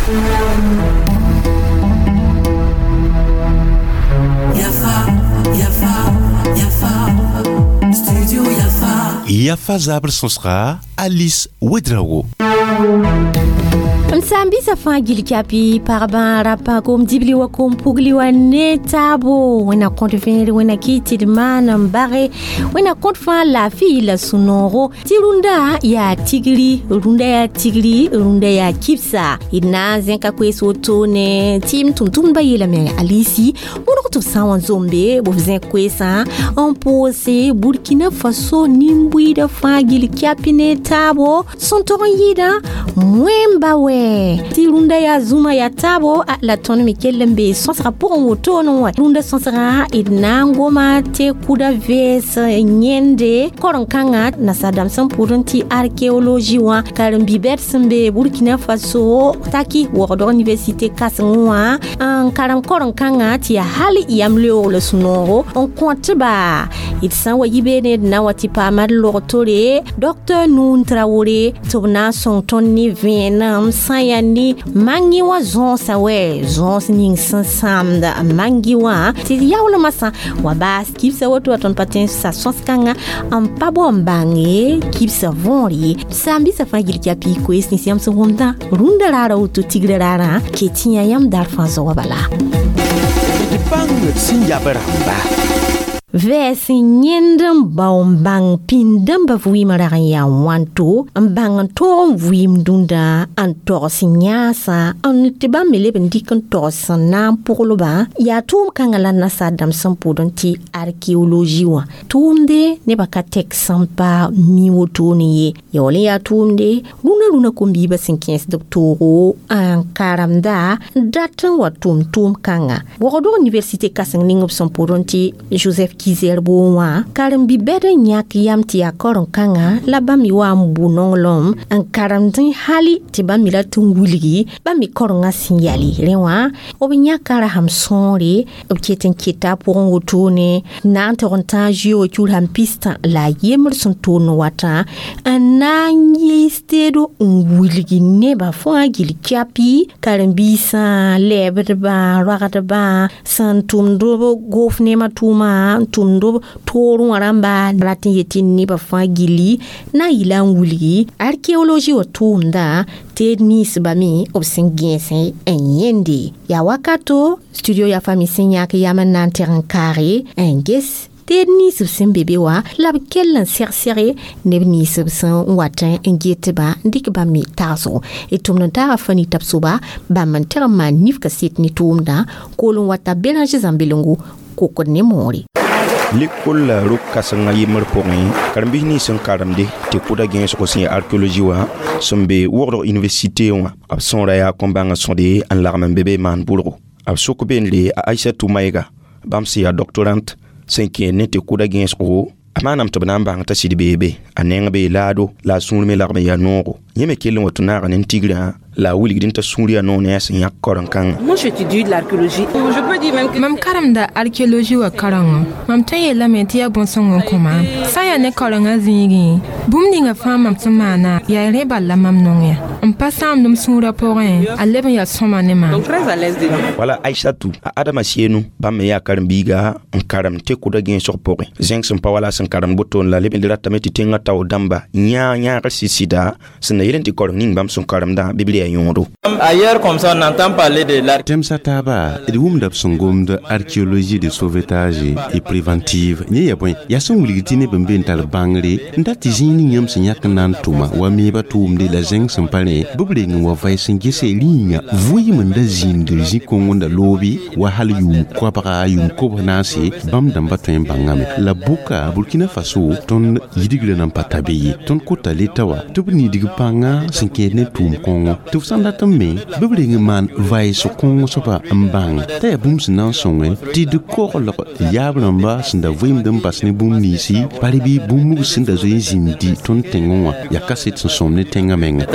Yafa, Yafa, Yafa, Studio Yafa. Yafa zabr sõsga Alice Ouedraogo. M saam-biisã fãa gil kapi pagba rapa kom dibli wa kom pugli wa ne taabo wẽnna kõt vẽere wẽnna kɩ tɩ d maan n bage wẽnna kõt fãa laafɩ la sũ-noogo tɩ rũndã yaa tigri rũndã yaa tigri rũndã yaa kibsa d na n zẽka koees wotone tɩ m tʋm-tʋmdbã yeelame alisi wõdg tɩ b sã n wa zombe b zẽk koeesã n pʋʋse Burkina Faso nin-buiidã fãa gil kapi ne taabo sẽn tog n yɩɩdã wẽmba wɛ tɩ rũndã yaa zũma yaa taabo la tõnd me kell n be sõsgã pʋgẽ wotone wã rũndã sõsgã d na n goma tɩ kʋda vɛɛs yẽnde karen-kãngã nasaar-dãmb sẽn pʋʋd n tɩ archéologie wã karen-bi-bɛd sẽn be Burkina Faso taki waoogdg université kãsengẽ wã n karem karen-kãngã tɩ yaa hal yam leoog la sũ-noogo n kõtba d sã n wa yi beene d na n wa tɩ paama d log tore Dr Nouhoun Traoré tɩ b na n sõng tõnd ne vẽenem sã n yaa ne mangi wã zõosa wɛ zõos ning sẽn sãamda mangi wã tɩ yaoolmã sã wa baas kibsã woto wa tõnd pa tõe n sa sõs-kãngã n pa bao n bãnge kibsã võor ye saam-biisã fãa gil kapi koees nins yãmb sẽn wʋmdã rũndã raara woto tigrã raarã ke tĩ yaa yãmb dar fãa zoa bala. D bãng d sẽn yab rãmba. Vɛɛs n yẽnd n bao n bãng pĩnd-dãmbã vɩɩmã rag n yaa wãnto n bãng n tõog n vɩɩm dũndã n togs yãasã n tɩ bãmb me leb n dɩk n togs sẽn na n pʋglbã yaa tʋʋm kãngã la nasaar-dãmb sẽn pʋʋd n tɩ archéologie wã tʋʋmde nebã ka tɛk sẽn pa mi wotone ye yaool n yaa tʋʋmde rũnã rũnã kom-biibã sẽn kẽesd b toogo n karemda dat n wa tʋm tʋʋm kãnga waoogdg université kãseng ning b sẽn pʋʋd n tɩ Joseph Ki-Zerbo wã karen-bi-bɛd n yãk yam tɩ yaa karen-kãngã la bãmb me wa n bʋ nonglem n karemdẽ hali tɩ bãmb me rat n wilgi bãmb me karengã sẽn yale rẽ wã b yãka rasem sõore b ket n keta a pʋgẽ wotone na n tog n tãag zoeoogã kiur sãn pistã la a yembr sẽn toond watã n na n yiis teedo n wilgi nebã fãa gil kapi karen-biisã lɛɛbdbã roagdbã sẽn tʋmd b gofnemã tʋʋma n tʋmd b toorẽ wã rãmba rat n yetɩ nebã fãa gilli na n yɩla n wilgi archéologie wã tʋʋmdã teed ninsbã me b sẽn gẽesẽ n yẽnde yaa wakato studio yaa fami sẽn yãk yam n na n teg n kaage n ges teed nins b sẽn be be wã la b kell n seg-sege neb nins b sẽn wat n getbã n dɩk bãmb me tagsgo d tʋmd n taaga fãa tab soaba bãmb n teg n maan nif kaset ne tʋʋmdã kool n wata Béranger Zãmbelengo kokd ne moore. Lekol la rok kãsengã yembr pʋgẽ karen-biis nins sẽn karemde tɩ kʋda gẽesgo sẽn yaa archéologie wã sẽn be wogdg université wã b sõora yaa kõn-bãngã sõde n lagm n be be maan bʋrgo b sok beenre a Aïssatou Maïga bãmb sẽn yaa doctorante sẽn kẽer ne tɩ kʋda gẽesgo a maaname tɩ b na n bãng t'a sɩd beebe a neng bee laado la a sũur me lagm n yaa noogo yẽ me kell n wa tɩ naaga ne tigrã la a wilgd n t'a sũur yaa noog ne a sẽn yãk karen-kãngã. Moi, j'étudie l'archéologie. Je peux dire même que Mam karemda archéologie wa karengã. Mam tõe n yeelame tɩ yaa bõn-sõng n kõ maam. Sã n yaa ne karengã zĩigẽ, bũmb ninga fãa mam sẽn maana yaa rẽ bal la mam nong ya. N pa sãamd m sũurã pʋgẽ, a leb n yaa sõma ne maam. Donc très à l'aise dedans. Wala Aïssatou a Adama Sienu bãmb me yaa karen-biiga n karem tɩ kʋda gẽesg pʋgẽ zẽng sẽn pa wala sẽn karem botoon la leb n ratame tɩ tẽngã tao dãmba yãa yãagr sɩd-sɩda sẽn na yel n tɩ kareng ning bãmb sẽn karemdã bɩ b yaa yõodo. Ailleurs, comme ça, on entend parler de l'archéologie. Tẽmsã taaba d wʋmda b sẽn gomd archéologie de sauvetage et préventive yẽ yaa bõe yaa sẽn wilg tɩ neb n be n tar bãngre n dat tɩ zĩig ning yãmb sẽn yãk n na n tʋma wa meebã tʋʋmde la zẽng sẽn pa rẽ bɩ b reng n wa vaɩs n gese rĩinga vʋɩɩm n da zĩnd zĩ-kõng n da loobi wa hal yʋʋm koabga yʋʋm kobs naase bãmb dãmba tõe n bãngame la bʋka Burkina Faso tõnd yidgrã nan pa ta be ye tõnd kota leta wa tɩ b nidg pãnga sẽn kẽed ne tʋʋm kõngo tɩ f sã n dat n me bɩ b reng n maan vaɩs kõng soaba n bãng t'a yaa bũmb sẽn na n sõnge tɩ d koglg yaab rãmba sẽn da vɩɩmd n bas ne bũmb ninsi bal bɩ bũmb sẽn da zoe n zĩndi tõnd tẽngẽ wã yaa kaset sẽn sõm ne tẽngã menga.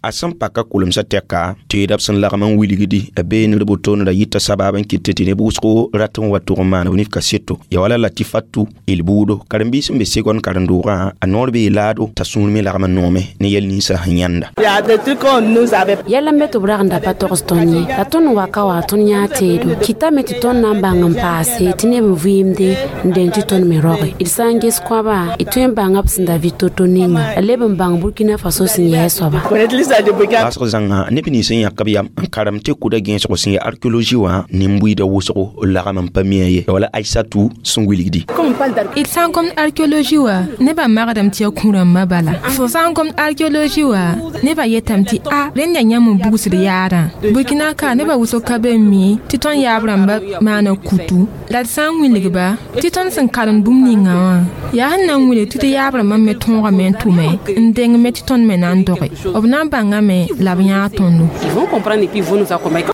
A sẽn paka kulemsã tɛka teeda b sẽn lagm n wilgdi a beenr botoon ra yita sabab n kɩt tɩ neb wʋsgo rat n wa tʋg n maan b nif kaseto ya wala Latifatou Ilbuudo karen-biis sẽn be segon karen-doogã a noor bee laado t'a sũur me lagm n noome ne yɛl ninsã sẽn yãnda. Il y a des trucs qu'on nous Yɛla n be tɩ b rag n da pa togs tõnd ye la tõnd n wa ka wa tõnd yãa teedo kɩtame tɩ tõnd na n bãng n paase tɩ neb n vɩɩmde n deng tɩ tõnd me roge d sã n ges kõaba d tõe n bãnga b sẽn da vɩ to-to ninga la leb n bãng Burkina Faso sẽn yɛɛ soaba. Baasg zãnga neb nins n yãk b yam n karem tɩ kʋda gẽesgo sẽn yaa archéologie wã nin-buiidã wʋsgo lagm n pa mi ye wala Aïssatou sẽn wilgdi. D sã n gomd archéologie wã nebã magdame tɩ yaa kũ-rãmbã bala. Fo sã n gomd archéologie wã nebã yetame tɩ a rẽnd yaa yãmb n bugsd yaadã. Burkina ka nebã wʋsg ka be n mi tɩ tõnd yaab rãmbã maana kutu la d sã n wilgba tɩ tõnd sẽn karemd bũmb ninga wã yaa sẽn na n wilg tɩ tɩ yaab rãmbã me tõogame n tʋme n deng me tɩ tõnd me na n doge b na n bãngame la b yãag tõndo.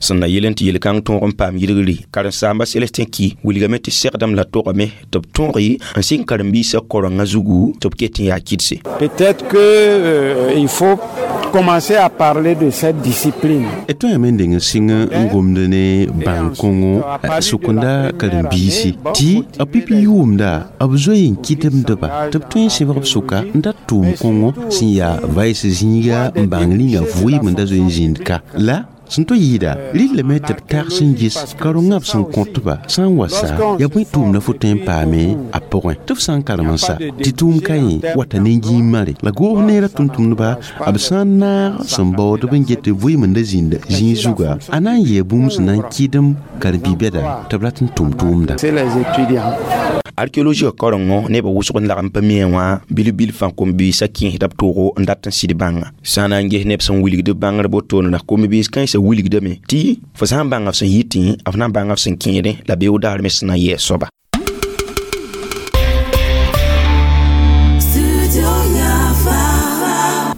Sẽn na yel n tɩ yel-kãng tõog n paam yirgre karen-saamba Célestin Ki wilgame tɩ segdame la togame tɩ b tõoge n sɩng karen-biisã korengã zugu tɩ b ket n yaa kɩdse. Peut-être que il faut commencer à parler de cette discipline. D tõe yame n deng n sɩng n gomd ne bãng-kõngo sʋkenda karen-biisi tɩ b pipi yʋʋmda b zoe n kɩtemdba tɩ b tõe n sẽbg b sʋka n dat tʋʋm kõngo sẽn yaa vaɩs zĩiga n bãng rĩnga vɩɩm n da zoe n zĩnd ka la sẽn to yɩɩda rɩllame tɩ b tags n ges karongã b sẽn kõtba sã n wa sa yaa bõe tʋʋmdã fo tõe n paame a pʋgẽ tɩ f sã n karem n sa tɩ tʋʋm ka yẽ wata ne gĩimare la goos neerã tʋm-tʋmdba b sã n naag sẽn baoodb n get vɩɩm n da zĩnd zĩig zuga a na n yɛɛ bũmb sẽn na n kɩdem karen-bi-bɛda tɩ b rat n tʋm tʋʋmda. C'est les étudiants. Archéologie karengo neb wʋsg n lagm pa mia wã bil-bil fãa kom-biisã kẽesda b toogo n dat n sɩd bãnga sã n na n ges neb sẽn wilgd bãngr wotone la kom-biis kãensã wilgdame tɩ fo sã n bãnga f sẽn yitẽ f na n bãnga f sẽn kẽedẽ la beoog daar me sẽn na n yɛɛ soaba.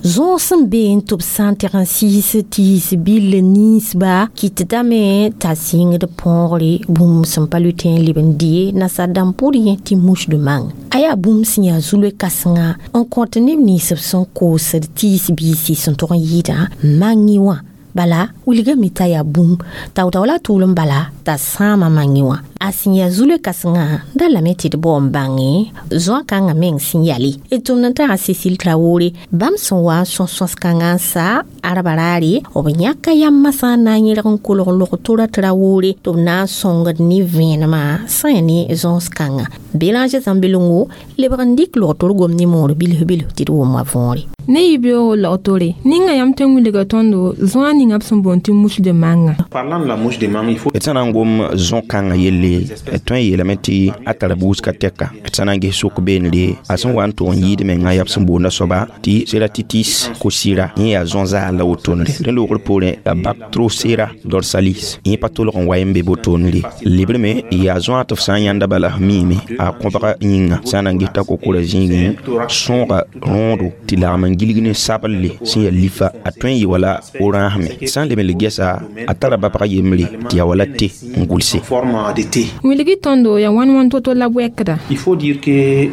Zõos sẽn be n tɩ b sã n teg n sɩɩs tɩɩs bill ninsba kɩtdame t'a sɩngd põogre bũmb sẽn pa lʋɩ n leb n dɩ nasaar dãmb pʋr yẽ tɩ mouche de mang a yaa bũmb sẽn yaa zulwe kãsenga n kõt neb nins b sẽn koosd tɩɩs biisi sẽn tog n yɩɩdã mang wã bala wilgame t'a yaa bũmb tao-tao la tʋʋlem bala t'a sãama mang wã a sẽn yaa zulwe kãsengã da lame tɩ d bao n bãnge zoa kãngã meng sẽn yale d tʋmd n taga Cécile Traoré bãmb sẽn wa n sõs sõs-kãngã n sa arba raare b yãka yam masã n na n yẽlg n kolg log-tora Traoré tɩ b na n sõngd ne vẽenemã sã ne zõs-kãngã Bélanger Zãmbelongo lebg n dɩk log-tor gom ne moor bilf-bilf tɩ d wʋm wa võore. Ne yibeoogo log-tore ninga yãmb tõe n wilga tõndo zõa ninga b sẽn boond tɩ mouche de manga. Parlant de la mouche de mangue, il faut D sã na n gom zõ-kãngã yelle d tõe n yeelame tɩ a tara buusga tɛka d sã na n ges sok beenre a sẽn wa n tʋg n yɩɩd menga yaa b sẽn boonda soaba tɩ Ceratitis kosira yẽ yaa zõ-zaal la wotonre rẽ loogr poorẽ yaa Bactrocera dorsalis yẽ pa tolg n wa n be botonre lebrme yaa zõa tɩ f sã n yãnda bala f miime a kõbga yĩnga sã n na n ges t'a kokora zĩigẽ sõoga rõodo tɩ lagm n gilg ne sablle sẽn yaa lifa a tõe n yɩ wala orãasme sã n leb n le gɛsa a tara babg yembre tɩ yaa wala te n gʋlse. Forme de thé. Wilg tõndo yaa wãn-wãn to-to la bʋɛkda. Il faut dire que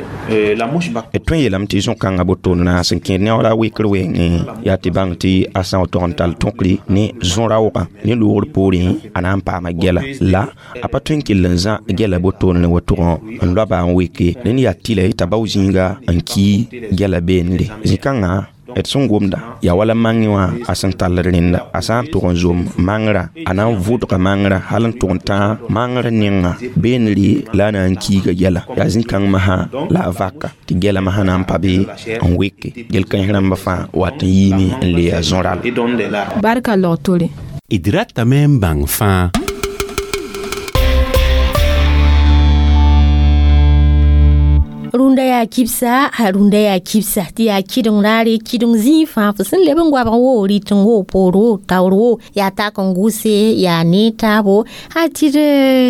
la mouche D tõe n yeelame tɩ zõ-kãngã botoone na sẽn kẽed ne a wala wekr wɛɛngẽ yaa tɩ bãng tɩ a sã n tog n tall tõkre ne zõ-raoogã ne loogr poorẽ a na n paama gɛla la a pa tõe n kell n zã gɛla botoone wa tʋgẽ n loaba n weke rẽnd yaa tɩlɛ t'a bao zĩiga n ki gɛla beenre zĩ-kãngã d sẽn gomda yaa wala mangẽ wã a sẽn tall rẽnda a sã n tʋg n zom mangrã a na n vʋdga mangrã hal n tʋg n tã mangr nenga beenre la a na n kiiga gɛla yaa zĩ-kãng masã la a vaka tɩ gɛla masã na n pa be n weke gel-kãens rãmbã fãa wat n yiime n le yaa zõ-rall. Et donne des larmes. Barka log-tore. D ratame n bãng fãa. Rũndã yaa kibsa a rũndã yaa kibsa tɩ yaa kɩdeng raare kɩdeng zĩig fãa fo sẽn leb n goabg wo rɩteng wo poor wo taoor wo yaa tak n gʋse yaa ne taabo a tɩ d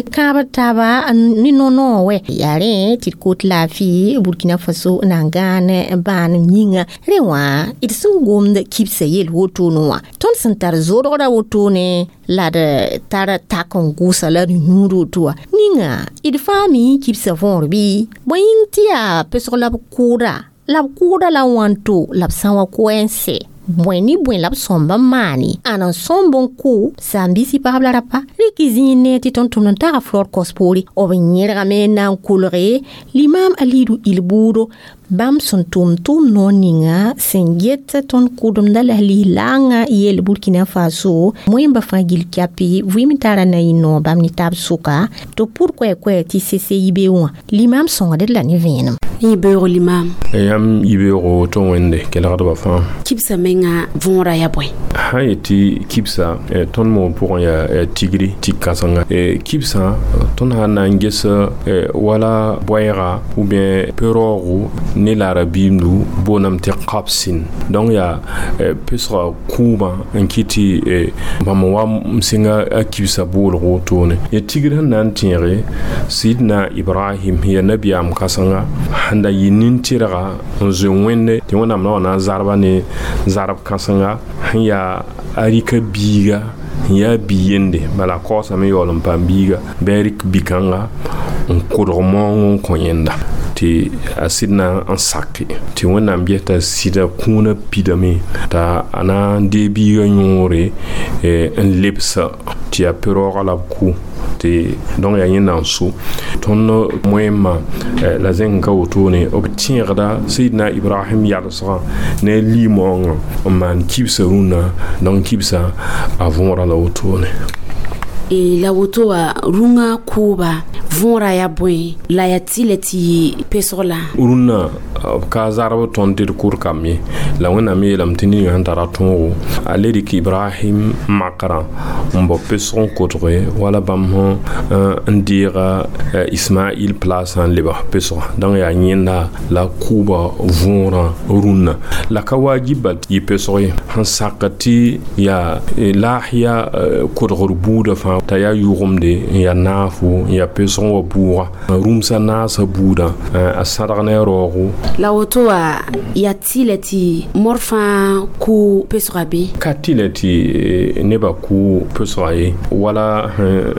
kãabd taaba ne no-noog wɛ yaa rẽ tɩ d kot laafɩ Burkina Faso na n gãan bãanem yĩnga rẽ wã d sẽn gomd kibsã yel wotone wã tõnd sẽn tar zodgrã wotone la d tar tak n gʋsa la d yũud woto wã ninga d fãa mi kibsã võor bɩ bõe yĩng tɩ yaa pesg la b kʋʋda la b kʋʋda la wãnto la b sã n wa koɛɛ n sɛ bõe ne bõe la b sõmb n maane ãn n sõmb n kʋ saam-biisi pagb la rapa rɩk zĩig ne tɩ tõnd-tʋmd n taga flor kos poore b yẽrgame n na n kolge limam Alidu Ilbuudo Bãmb sẽn tʋm tʋʋm noor ninga sẽn get tõnd kʋdemda la lislaangã yeel Burkina Faso moẽmba fãa gil kyapi vɩɩm tara na yɩ noor bãmb ne taab sʋka tɩ pʋd koɛ-koɛ tɩ CCIB wã limam sõngd la ne vẽenem. Yibeoogo limam. Yãmb yibeoogo tɩ wẽnde kelgdbã fãa. Kibsã menga võora yaa bõe? Sã yet tɩ kibsa tõnd moog pʋgẽ yaa tigri tɩ kãsenga kibsã tõnd sã n na n ges wala boɛɛga ou bien pe-raoogo ne laara biimdu booname tɩ qabsin, donc yaa pesga kʋʋbã n kɩt tɩ bãmb wa m sɩnga a kibsã boolg wotone. Ya tigr sẽn na n tẽege Sidna Ibrahim, ya nabiyaam kãsenga sẽn da yɩ nin-tɩrga n zoe Wẽnde tɩ Wẽnnaam na wa na n zarba ne zarb kãsenga sẽn yaa a rɩka biiga sẽn yaa bi-yende, bala a kaoosame yaool n paam biiga bɩ a rɩk bi-kãnga n kodg maoong n kõ yẽnda tɩ a sɩd na n sake tɩ Wẽnnaam ges t'a sɩda kũunã pidame t'a a na n dee biigã yõore n lebsa tɩ yaa pe-raoogã la b kʋ tɩ donc yaa yẽnda n so tõnd moẽmã la zẽng ka wotone b tẽegda Seydna Ibrahim yalsgã ne a limoongã n maan kibsã rũnnã, donc kibsã a võora la wotone. La woto wã rũngã kʋʋba võora yaa bõe la yaa tɩlɛ tɩ yɩ pesg la? Rũnnã b ka zarb tõnd tɩ d kʋd kamb ye la Wẽnnaam yeelame tɩ ninga sẽn tara tõogo a le rɩk Ibrahim makrã n bao pesg n kotge wala bãmb sẽn n deega Ismail plasã n lebg pesga, donc yaa yẽnda la kʋʋba võorã rũnnã la ka wajib bal yɩ pesg ye sẽn sak tɩ yaa laasya kodgr buudã fãa t'a yaa yʋgemde n yaa naafo n yaa pesg n wa bʋʋga rũmsã naasã buudã a sãdg ne a raoogo. La woto wã yaa tɩlɛ tɩ mor fãa kʋ pesga bɩ? Ka tɩlɛ tɩ nebã kʋ pesga ye wala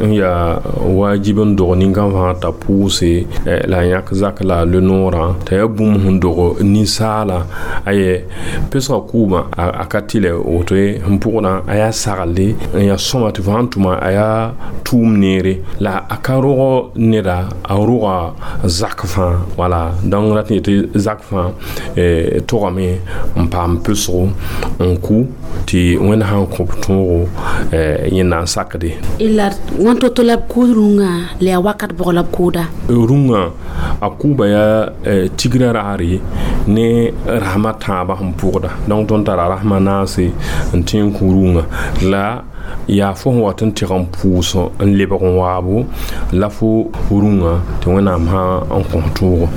n yaa wajib n dog nin-kãng fãa t'a pʋʋse la a yãk zak la a le noorã t'a yaa bũmb sẽn dog ninsaala aye pesga kʋʋmã a ka tɩlɛ woto ye sẽn pʋgdã a yaa saglde n yaa sõma tɩ fo sãn tʋma a yaa tʋʋm neere la a ka rog neda a roga zak fãa wala, donc rat n yetɩ zak fãa togame n paam pesgo n kʋ tɩ Wẽnd sãn kõb tõogo yẽnda n sakde. La wãn to-to la b kʋʋd rũngã la yaa wakat bʋg la b kʋʋda? Rũngã a kʋʋba yaa tigrã raare ne rasmã tãabã sẽn pʋgda, donc tõnd tara rasmã naase n tõe n kũ rũngã la yaa fo sẽn wat n tɩg n pʋʋs n lebg n waabo la fo rũngã tɩ Wẽnnaam sã n kõ tõogo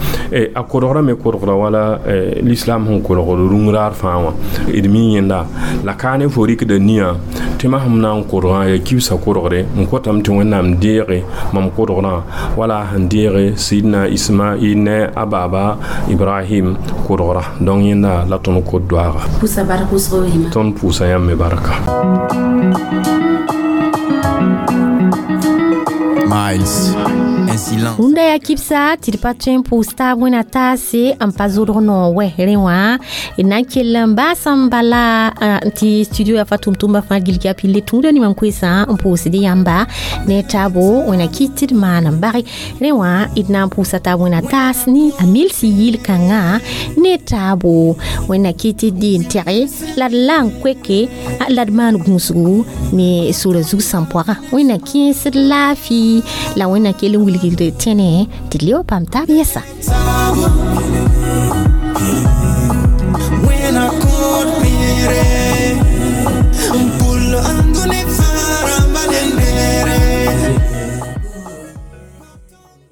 a kodgrã me kodgra wala l'islam sẽn kodgd rũng raar fãa wã d mi yẽnda la ka ne fo rɩkda nia tɩ ma sẽm na n kodgã yaa kibsã kodgre n kotame tɩ Wẽnnaam deege mam kodgrã wala sẽn deege Sidna Ismail ne a baaba Ibrahim kodgra, donc yẽnda la tõnd kod doaaga. Pʋʋsa bark wʋsgo. Tõnd pʋʋsa yãmb me barka. Miles. Un silence. Rũndã yaa kibsa tɩ d pa tõe n pʋʋs taab wẽna taase n pa zodg noor wɛ rẽ wã d na n kell n baasã n bala tɩ studio yaa fa tʋm-tʋmba fãa gilg yaa pille tũudã ne mam koesã n pʋʋsd yãmba ne taabo wẽna kɩt tɩ d maan n bage rẽ wã d na n pʋʋsa taab wẽna taas ne a milsi yil-kãngã ne taabo wẽnna kɩt tɩ d deen tɛge la d la n koeke la d maan gũusgu ne sora zug sãn-poagã wẽnna kẽesd laafɩ la wẽnna kell n wilgd tẽne tɩ d leb paam taab yɛsa.